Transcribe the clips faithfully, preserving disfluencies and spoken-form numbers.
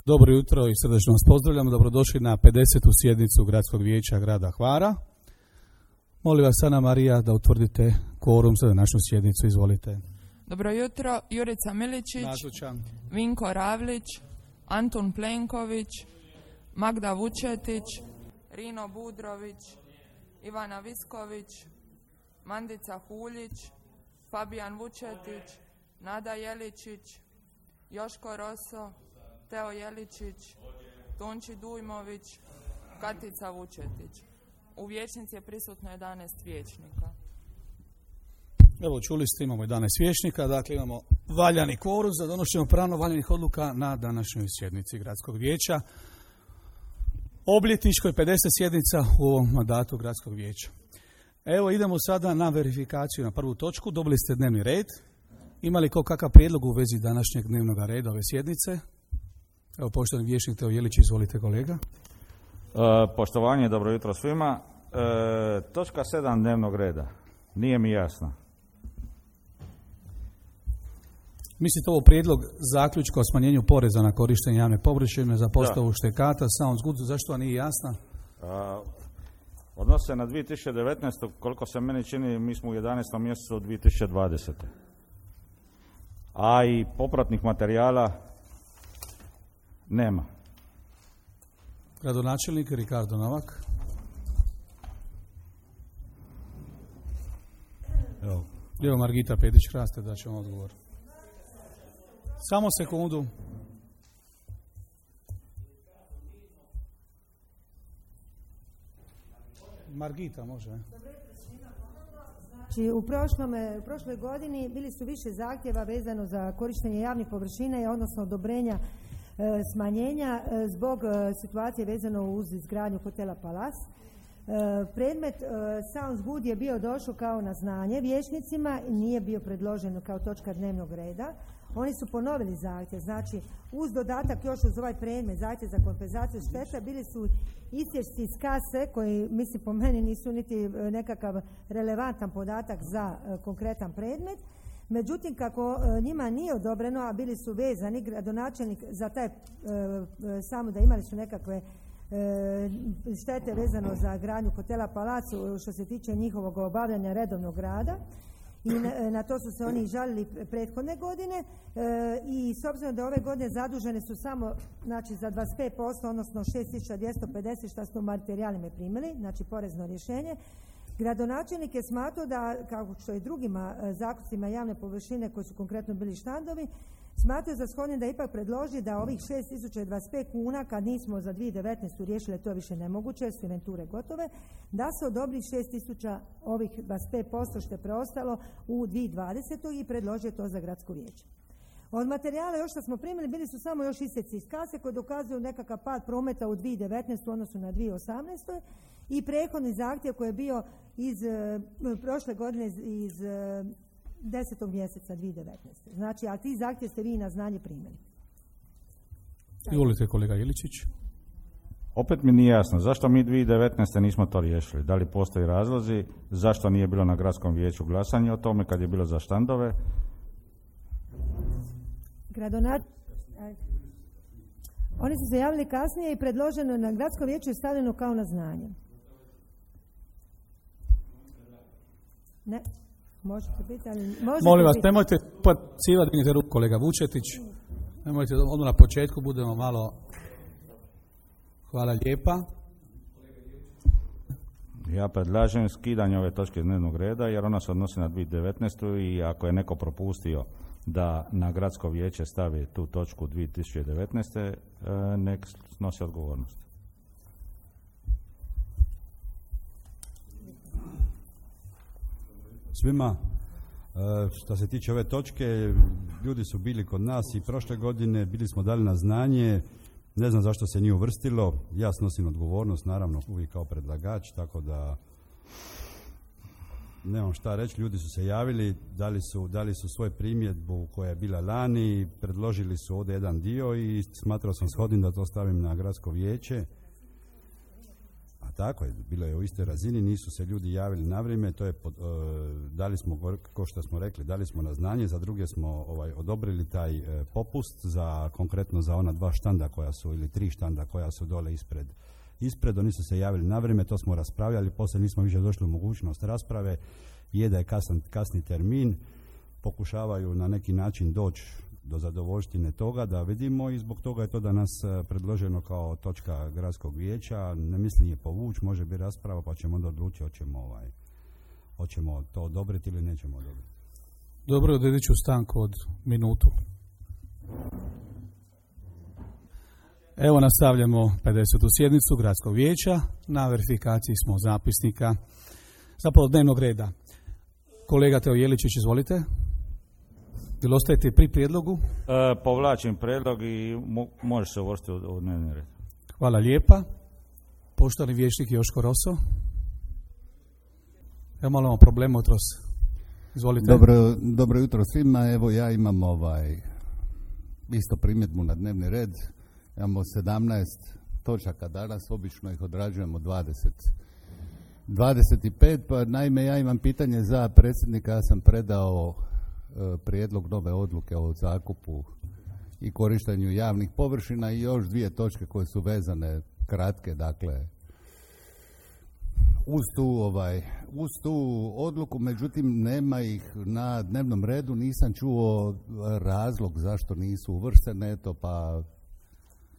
Dobro jutro i srdačno vas pozdravljamo. Dobrodošli na pedesetu sjednicu Gradskog vijeća grada Hvara. Molim vas, Ana Marija, da utvrdite kvorum za današnju sjednicu. Izvolite. Dobro jutro. Jurica Miličić, Nazočan. Vinko Ravlić, Antun Plenković, Magda Vučetić, Rino Budrović, Ivana Visković, Mandica Huljić, Fabijan Vučetić, Nada Jeličić, Joško Roso, Teo Jeličić, Tonči Dujmović, Katica Vučetić. U vijećnici je prisutno jedanaest vijećnika. Evo, čuli ste, imamo jedanaest vijećnika, dakle imamo valjani kvorum za donošenje pravno valjanih odluka na današnjoj sjednici Gradskog vijeća. Obljetničkoj pedeset sjednica u ovom mandatu Gradskog vijeća. Evo, idemo sada na verifikaciju na prvu točku. Dobili ste dnevni red. Ima li ko kakav prijedlog u vezi današnjeg dnevnog reda ove sjednice? Evo, poštovani vijećnik Teo Jelić, izvolite kolega. E, poštovanje, dobro jutro svima. E, točka sedam dnevnog reda. Nije mi jasno. Mislite ovo prijedlog zaključka o smanjenju poreza na korištenje javne površine za postavu da. štekata, sounds good, zašto nije jasna? E, odnosi se na dvije tisuće devetnaestu. Koliko se meni čini, mi smo u jedanaestom mjesecu dvije tisuće dvadesete. A i popratnih materijala nema. Gradonačelnik Ricardo Novak. Evo, Evo Margita Pedić-Hraste da ćemo odgovor. Samo sekundu. Margita može. Znači, u, prošlom, u prošloj godini bili su više zahtjeva vezano za korištenje javnih površina, odnosno odobrenja e, smanjenja e, zbog e, situacije vezano uz izgradnju hotela Palas. E, predmet e, Sounds Good je bio došao kao na znanje vijećnicima i nije bio predložen kao točka dnevnog reda. Oni su ponovili zahtjev, znači uz dodatak još uz ovaj predmet zahtjev za kompenzaciju šteta bili su isječci iz kase koji, mislim, po meni nisu niti nekakav relevantan podatak za uh, konkretan predmet. Međutim, kako uh, njima nije odobreno, a bili su vezani, gradonačelnik za taj, uh, samo da imali su nekakve uh, štete vezano za gradnju hotela Palacu što se tiče njihovog obavljanja redovnog rada. I na, na to su se oni žalili prethodne godine e, i s obzirom da ove godine zadužene su samo, znači, za dvadeset pet posto, odnosno šest tisuća dvjesto pedeset što su u materijalima primili, znači porezno rješenje. Gradonačelnik je smatrao da, kao što i drugima e, zakupcima javne površine koji su konkretno bili štandovi, smatrao za shodnim da ipak predloži da ovih šest tisuća dvadeset pet kuna, kad nismo za dvije tisuće devetnaestu riješili, to je više nemoguće, jer su inventure gotove, da se odobri šest tisuća ovih dvadeset pet posto što je preostalo u dvije tisuće dvadesetoj i predložio to za gradsko vijeće. Od materijala još što smo primili bili su samo još isjeci iz kase koji dokazuju nekakav pad prometa u dvije tisuće devetnaestoj u odnosu na dvije tisuće osamnaestoj i prethodni zahtjev koji je bio iz uh, prošle godine iz, iz uh, desetog mjeseca dvije tisuće devetnaeste. Znači, a ti zahtjev ste vi na znanje primili. Izvolite kolega Jeličić. Opet mi nije jasno, zašto mi dvije tisuće devetnaeste nismo to riješili? Da li postoji razlozi? Zašto nije bilo na gradskom vijeću glasanje o tome kad je bilo za štandove? Gradonat... Oni su se javili kasnije i predloženo na gradskom vijeću je stavljeno kao na znanje. Ne. Možete biti, ali možete Molim vas, biti. nemojte pacivati, dignite ruku kolega Vučetić. Nemojte, odmah na početku budemo malo... Hvala lijepa. Ja predlažem skidanje ove točke dnevnog reda jer ona se odnosi na dvije tisuće devetnaestu i ako je neko propustio da na gradsko vijeće stavi tu točku dvije tisuće devetnaeste, nek snosi odgovornost. Svima, što se tiče ove točke, ljudi su bili kod nas i prošle godine, bili smo dali na znanje, ne znam zašto se nije uvrstilo, ja snosim odgovornost, naravno uvijek kao predlagač, tako da nemam šta reći, ljudi su se javili, dali su, dali su svoju primjedbu koja je bila lani, predložili su ovdje jedan dio i smatrao sam shodnim da to stavim na gradsko vijeće. Pa tako je, bilo je u istoj razini, nisu se ljudi javili na vrijeme, to je, pod, uh, dali smo, kao što smo rekli, dali smo na znanje, za druge smo ovaj, odobrili taj uh, popust, za konkretno za ona dva štanda koja su, ili tri štanda koja su dole ispred. Ispred, oni su se javili na vrijeme, to smo raspravljali, poslije nismo više došli u mogućnost rasprave, je da je kasan, kasni termin, pokušavaju na neki način doći do zadovoljštine toga da vidimo i zbog toga je to danas predloženo kao točka gradskog vijeća. Ne mislim je povući, može biti rasprava pa ćemo onda odlučiti hoćemo, ovaj, hoćemo to odobriti ili nećemo odobriti. Dobro, odredit ću stanku od minutu. Evo nastavljamo pedesetu sjednicu gradskog vijeća. Na verifikaciji smo zapisnika, zapravo dnevnog reda. Kolega Teo Jeličić, izvolite. Ili ostajete pri prijedlogu? E, povlačim prijedlog i mo- može se uvrstiti u, u dnevni red. Hvala lijepa. Poštovani vijećnik Joško Roso. Evo malo imamo problema jutros. Izvolite. Dobro, dobro jutro svima. Evo ja imam ovaj isto primjedbu na dnevni red. Imamo sedamnaest točaka danas, obično ih odrađujemo dvadeset. dvadeset pet, pa naime ja imam pitanje za predsjednika, ja sam predao e, prijedlog nove odluke o zakupu i korištenju javnih površina i još dvije točke koje su vezane, kratke, dakle, uz tu, ovaj, uz tu odluku, međutim nema ih na dnevnom redu, nisam čuo razlog zašto nisu uvrštene, eto pa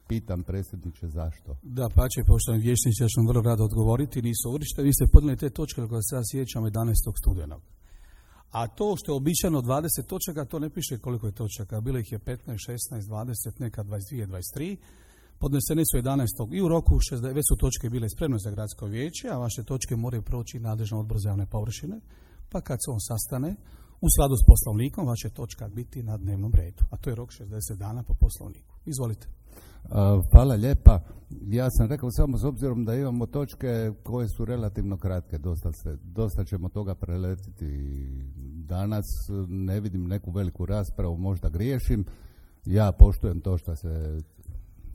pitam predsjedniče zašto. Da, pa će, poštovani vijećnici, ja ću vam vrlo rado odgovoriti, nisu uvrštene. Vi ste podnijeli te točke koje se ja sjećam jedanaestog studenog. A to što je običajno dvadeset točaka, to ne piše koliko je točaka. Bilo ih je petnaest, šesnaest, dvadeset, neka dvadeset dvije, dvadeset tri. Podnesene su jedanaestog i u roku šezdeset, već su točke bile spremne za gradsko vijeće, a vaše točke moraju proći nadležan odbor za javne površine, pa kad se on sastane, u skladu s poslovnikom, vaša točka biti na dnevnom redu. A to je rok šezdeset dana po poslovniku. Izvolite. Uh, hvala lijepa. Ja sam rekao samo s obzirom da imamo točke koje su relativno kratke, dosta, se, dosta ćemo toga preletiti danas, ne vidim neku veliku raspravu, možda griješim. Ja poštujem to što se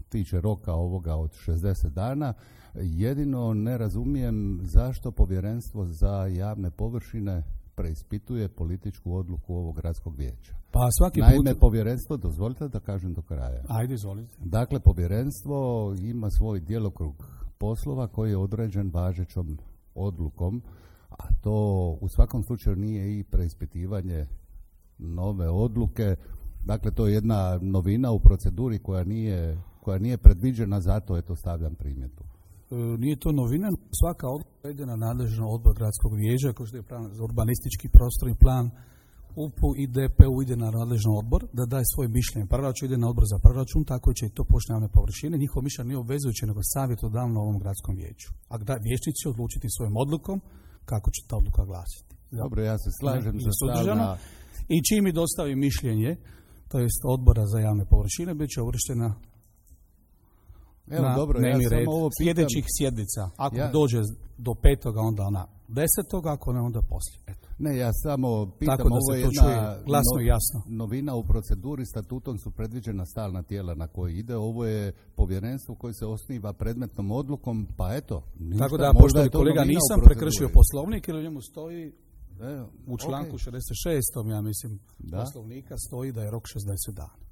tiče roka ovoga od šezdeset dana. Jedino ne razumijem zašto povjerenstvo za javne površine preispituje političku odluku ovog gradskog vijeća. Pa svaki Naime, put... povjerenstvo, dozvolite da kažem do kraja. Ajde, izvolite. Dakle, povjerenstvo ima svoj djelokrug poslova koji je određen važećom odlukom, a to u svakom slučaju nije i preispitivanje nove odluke. Dakle, to je jedna novina u proceduri koja nije, koja nije predviđena, zato eto stavljam primjedbu. E, nije to novina, svaka odluka ide na nadležno odbor gradskog vijeća, kao što je plan za urbanistički prostorni plan, U P U i D P U ide na nadležan odbor da daje svoje mišljenje. Proračun ide na odbor za proračun, tako će i to pošli javne površine. Njihovo mišljenje nije obvezujuće, nego savjetodavno ovom gradskom vijeću. A vijećnici će odlučiti svojom odlukom kako će ta odluka glasiti. Dobro, ja se slažem za stalna... I čim mi dostavi mišljenje, to jest odbora za javne površine, bit će uvrštena Evo, na dobro, dnevni ja red samo sljedećih sjednica. Ako ja... dođe do petoga, onda ona desetoga, ako ne, onda poslije. Eto. Ne, ja samo pitam, tako da ovo se je to jedna čuje glasno i jasno. Novina u proceduri, statutom su predviđena stalna tijela na koji ide, ovo je povjerenstvo koje se osniva predmetnom odlukom, pa eto. Ništa, tako da, pošto kolega, nisam prekršio poslovnik, jer u njemu stoji e, u članku okay. šezdeset šestom, ja mislim, da? poslovnika stoji da je rok šezdeset dana.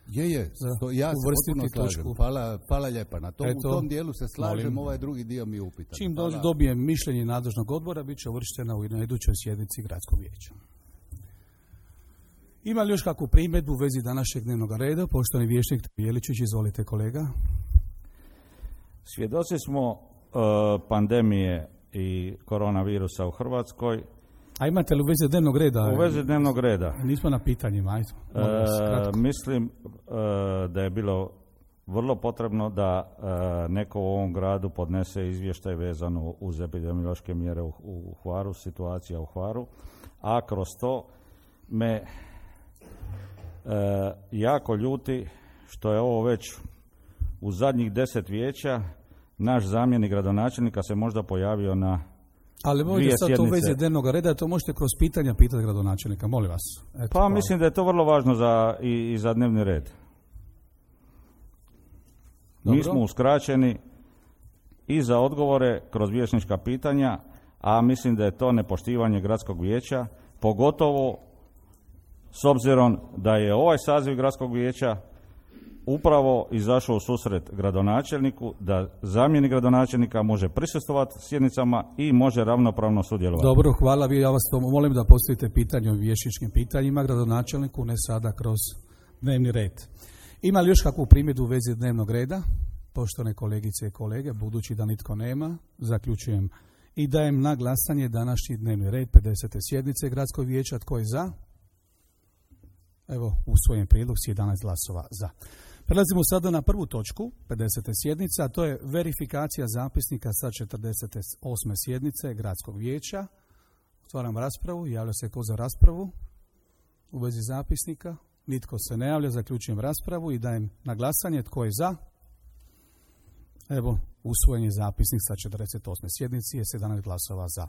Je, je, to, ja se potpuno slažem. Hvala, hvala lijepa. Na tom, Eto, u tom dijelu se slažem, molim, ovaj drugi dio mi je upitan. Čim dođe, dobijem mišljenje nadležnog odbora, bit će uvrštena u na idućoj sjednici gradskog vijeća. Ima li još kakvu primjedbu u vezi današnjeg dnevnog reda? Poštovani vijećnik Jeličić, izvolite kolega. Svjedoci smo uh, pandemije i koronavirusa u Hrvatskoj. A imate li u vezi dnevnog reda? U vezi dnevnog reda. Nismo na pitanjima, ajde. E, mislim e, da je bilo vrlo potrebno da e, neko u ovom gradu podnese izvještaj vezano uz epidemiološke mjere u, u Hvaru, situacija u Hvaru, a kroz to me e, jako ljuti što je ovo već u zadnjih deset vijeća naš zamjenik gradonačelnika se možda pojavio na ali možete sad to u vezi dnevnog reda, to možete kroz pitanja pitati gradonačelnika, molim vas. Eto, pa hvala. Mislim da je to vrlo važno za, i, i za dnevni red. Dobro. Mi smo uskraćeni i za odgovore kroz vijećnička pitanja, a mislim da je to nepoštivanje gradskog vijeća, pogotovo s obzirom da je ovaj saziv gradskog vijeća upravo izašao u susret gradonačelniku, da zamjenik gradonačelnika može prisustvovati sjednicama i može ravnopravno sudjelovati. Dobro, hvala. Vi, ja vas to molim da postavite pitanje o vijećničkim pitanjima gradonačelniku, ne sada kroz dnevni red. Ima li još kakvu primjedbu u vezi dnevnog reda? Poštovane kolegice i kolege, budući da nitko nema, zaključujem i dajem na glasanje današnji dnevni red pedesete sjednice Gradskog vijeća. Tko je za? Evo, usvojen prijedlog s jedanaest glasova za. Prelazimo sada na prvu točku pedesete sjednice, a to je verifikacija zapisnika sa četrdeset osme sjednice Gradskog vijeća. Otvaram raspravu. Javlja se ko za raspravu u vezi zapisnika? Nitko se ne javlja. Zaključujem raspravu i dajem na glasanje. Tko je za? Evo, usvojen je zapisnik sa četrdeset osme sjednici je sedamnaest glasova za.